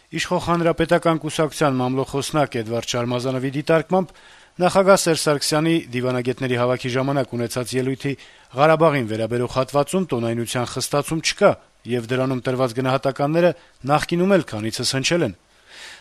Իշխող Հանրապետական կուսակցության մամլոխոսնակ Էդվարդ Շարմազանովի դիտարկմամբ նախագահ Սերժ Սարգսյանի դիվանագետների հավաքի ժամանակ ունեցած ելույթի Ղարաբաղին վերաբերող հատվածում տոնայնության խստացում չկա, եւ դրանում տրված գնահատականները նախկինում էլ քանիցս հնչել են։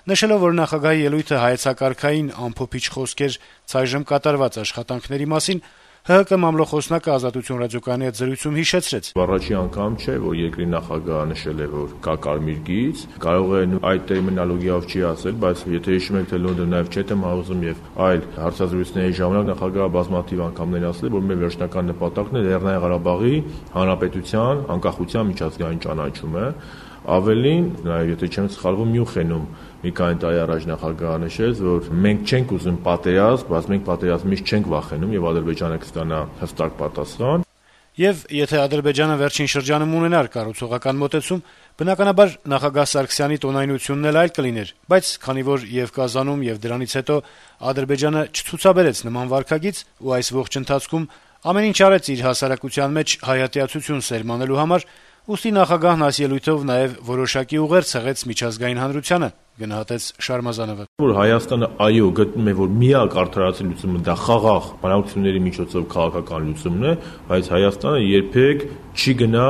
Նշելով, որ նախագահի ելույթը հայեցակարգային ամփոփիչ խոսքեր ցայժմ կատարված աշխատանքների մասին, ՀՀԿ մամլոխոսնակը Ազատություն ռադիոկայանի հետ զրույցում հիշեցրեց. Առաջին անգամ չէ, որ երկրի նախագահը նշել է, որ կա կարմիր գիծ, կարող է այդ տերմինոլոգիայով չի ասել, բայց եթե հիշում եք, թե Լոնդոն նաև չեմ հարուզում եւ այլ հարցազրույցների ժամանակ նախագահը բազմաթիվ անգամներ ասել է, որ մեր վերջնական նպատակն է Լեռնային Ղարաբաղի հանրապետության անկախության միջազգային ճանաչումը։ Ավելին, նաև եթե չեմ սխալվում, Մյունխենում մի քանի տարի առաջ նախագահը նշեց, որ մենք չենք ուզում պատերազմ, բայց մենք պատերազմից չենք վախենում եւ Ադրբեջանը կստանա հստակ պատասխան։ Եվ եթե Ադրբեջանը վերջին շրջանում ունենար կառուցողական մոտեցում, բնականաբար նախագահ Սարգսյանի տոնայնությունն էլ այլ կլիներ, բայց քանի որ եւ Կազանում եւ դրանից հետո Ադրբեջանը չցուցաբերեց նման վարքագիծ ու այս ողջ ընթացքում ամեն ինչ արեց իր հասարակության մեջ հայատյացություն սերմանելու համար, ուստի նախագահն այս ելույթով նաեւ որոշակի ուղեր ցեղեց միջազգային հանրությանը, գնահատեց Շարմազանովը։ Որ Հայաստանը այո գտնում է, որ միակ արդարացի լուծումը դա խաղաղ բանակցությունների միջոցով քաղաքական լուծումն է, բայց Հայաստանը երբեք չի գնա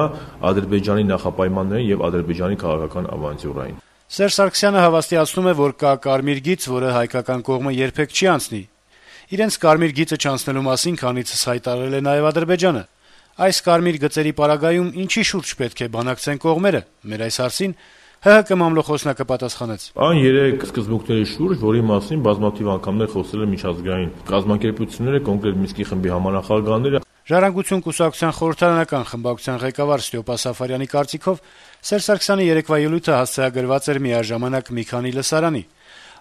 Ադրբեջանի նախապայմաններին եւ Ադրբեջանի քաղաքական ավանտյուրային։ Սերժ Սարգսյանը հավաստիացնում է, որ կա կարմիր գիծ, որը հայկական կողմը երբեք չի անցնի։ Իրենց կարմիր գիծը չանցնելու մասին քանիցս հայտարարել է նաեւ Ադրբեջանը։ Այս կարմիր գծերի պարագայում ինչի շուրջ պետք է բանակցեն կողմերը։ Մեր այս հարցին ՀՀԿ մամլոխոսնակը պատասխանեց. Այն 3 սկզբունքների շուրջ, որի մասին բազմաթիվ անգամներ խոսել են միջազգային կազմակերպությունները, կոնկրետ Մինսկի խմբի համանախագահները։ Ժառանգություն կուսակցության խորհրդարանական խմբակցության ղեկավար Ստյոպա Սաֆարյանի կարծիքով Սերժ Սարգսյանի երեկվա ելույթը հասցեագրված էր միաժամանակ մի քանի լսարանի։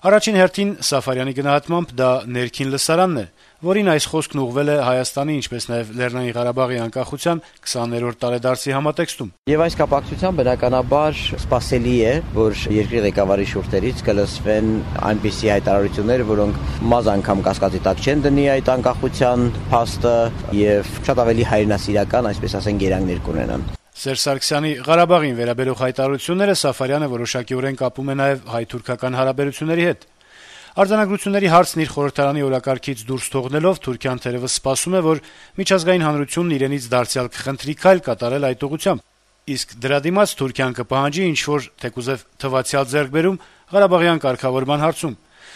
Առաջին հերթին Սաֆարյանի գնահատմամբ դա ներքին լսարանն է, որին այս խոսքն ուղղվել է Հայաստանի, ինչպես նաև Լեռնային Ղարաբաղի անկախության 20-րդ տարեդարձի համատեքստում։ Եվ այս կապակցությամբ բնականաբար սպասելի է, որ երկրի ղեկավարի շուրթերից կլսվեն այնպիսի հայտարարություններ, որոնք մազ անգամ կասկածի տակ չեն դնի այդ անկախության փաստը եւ շատ ավելի հայրենասիրական, այսպես ասենք, երանգներ կունենան։ Սերժ Սարգսյանի Ղարաբաղին վերաբերող հայտարարությունները Սաֆարյանը որոշակիորեն կապում է նաև հայ-թուրքական հարաբերությունների հետ։ Արձանագրությունների հարցն իր խորհրդարանի օրակարգից դուրս թողնելով Թուրքիան թերևս սպասում է, որ միջազգային հանրությունն իրենից դարձյալ կխնդրի քայլ կատարել այդ ուղղությամբ։ Իսկ դրա դիմաց Թուրքիան կպահանջի ինչ-որ թեկուզև թվացial ձեռքբերում Ղարաբաղյան կարգավորման հարցում։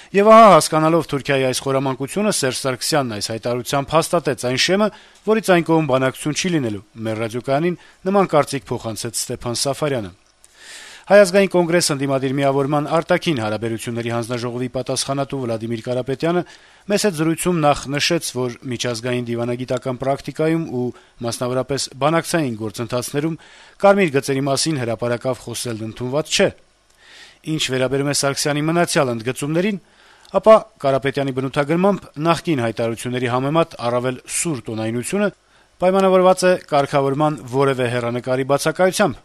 Եվ ահա հասկանալով Թուրքիայի այս խորամանկությունը Սերժ Սարգսյանն այս հայտարարությամբ հաստատեց այն շեմը, որից այն կողմ բանակցություն չի լինելու։ Մեր ռադիոկայանին նման կարծիք փոխանցեց Ստեփան Սաֆարյանը։ Հայ ազգային կոնգրես ընդդիմադիր միավորման արտաքին հարաբերությունների հանձնաժողովի պատասխանատու Վլադիմիր Կարապետյանը մեծ զրույցում նախ նշեց, որ միջազգային դիվանագիտական պրակտիկայում ու մասնավորապես բանակցային գործընթացներում կարմիր գծերի մասին հրապարակավ խոսելն ընդունված չէ։ Ինչ վերաբերում է Սարգսյանի մնացյալ ընդգծումներին, ապա Կարապետյանի բնութագրմամբ նախկին հայտարարությունների համեմատ առավել սուր տոնայնությունը պայմանավորված է կարգավորման որևէ հեռանկարի բացակայությամբ։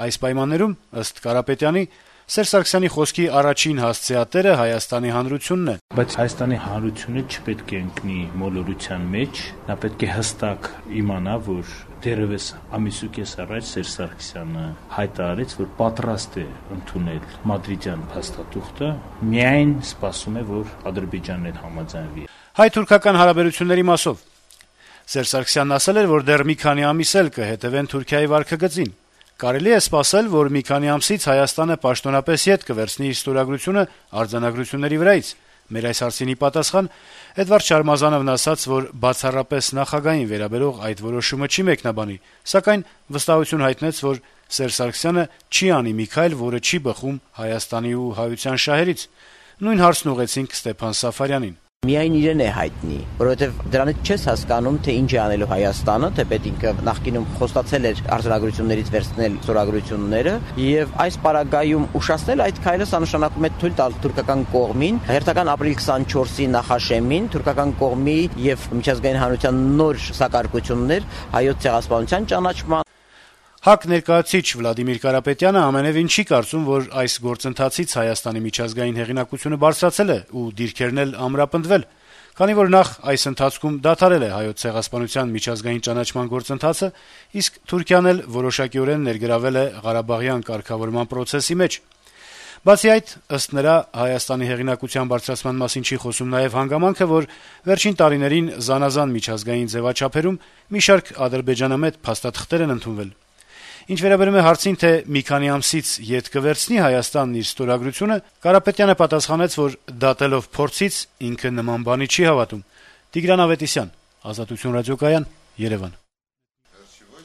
Այս պայմաններում, ըստ Կարապետյանի, Սերժ Սարգսյանի խոսքի առաջին հասցեատերը Հայաստանի Հանրությունն է։ Բայց Հայաստանի Հանրությունը չպետք է ընկնի մոլորության մեջ, նա պետք է հստակ իմանա, որ դեռևս ամիսուկես առաջ Սերժ Սարգսյանը հայտարարեց, որ պատրաստ է ընդունել մադրիդյան փաստաթուղթը, միայն սպասում է, որ Ադրբեջանն էլ համաձայնվի։ Հայ-թուրքական հարաբերությունների մասով Սերժ Սարգսյանն ասել էր, որ դեռ մի քանի ամիս էլ կհետևեն Թուրքիայի վարքագծին։ Կարելի է սպասել, որ մի քանի ամսից Հայաստանը պաշտոնապես ետ կվերցնի իր ստորագրությունը արձանագրությունների վրայից։ Մեր այս հարցինի պատասխան Էդվարդ Շարմազանովն ասաց, որ բացառապես նախագահային վերաբերող այդ որոշումը չի մեկնաբանի, սակայն վստահություն հայտնեց, որ Սերժ Սարգսյանը չի անի մի քայլ, որը չի բխում Հայաստանի ու հայության շահերից։ Նույն հարցն ուղեցինք Ստեփան Սաֆարյանին։ Միայն իրեն է հայտնի, որովհետև դրանից չես հասկանում, թե ինչ է անելու Հայաստանը, թե պետք ինքը նախկինում խոստացել էր արձանագրություններից վերցնել ստորագրությունները, եւ այս պարագայում ուշացնել այդ քայլը սա նշանակում է թույլ տալ թուրքական կողմին հերթական ապրիլ 24-ի նախաշեմին թուրքական կողմի եւ միջազգային հանրության նոր սակարկություններ հայոց ցեղասպանության ճանաչման։ ՀԱԿ ներկայացուցիչ Վլադիմիր Կարապետյանը ամենևին չի կարծում, որ այս գործընթացից Հայաստանի միջազգային հեղինակությունը բարձրացել է ու դիրքերն էլ ամրապնդվել, քանի որ նախ այս ընթացքում դադարել է հայոց ցեղասպանության միջազգային ճանաչման գործընթացը, իսկ Թուրքիան էլ որոշակիորեն ներգրավել է Ղարաբաղյան կարգավորման process-ի մեջ։ Բացի այդ, ըստ նրա, Հայաստանի հեղինակության բարձրացման մասին չի խոսում նաեւ հանգամանքը, որ վերջին տարիներին զանազան միջազգային ձեւաչափերում մի շարք ադրբեջանամետ փաստաթղթեր են ընդունվել։ Ինչ վերաբերում է հարցին, թե մի քանի ամսից ետ կվերցնի Հայաստանն իր ստորագրությունը, Կարապետյանը պատասխանեց, որ դատելով փորձից ինքը նման բանի չի հավատում։ Տիգրան Ավետիսյան, Ազատություն ռադիոկայան, Երևան։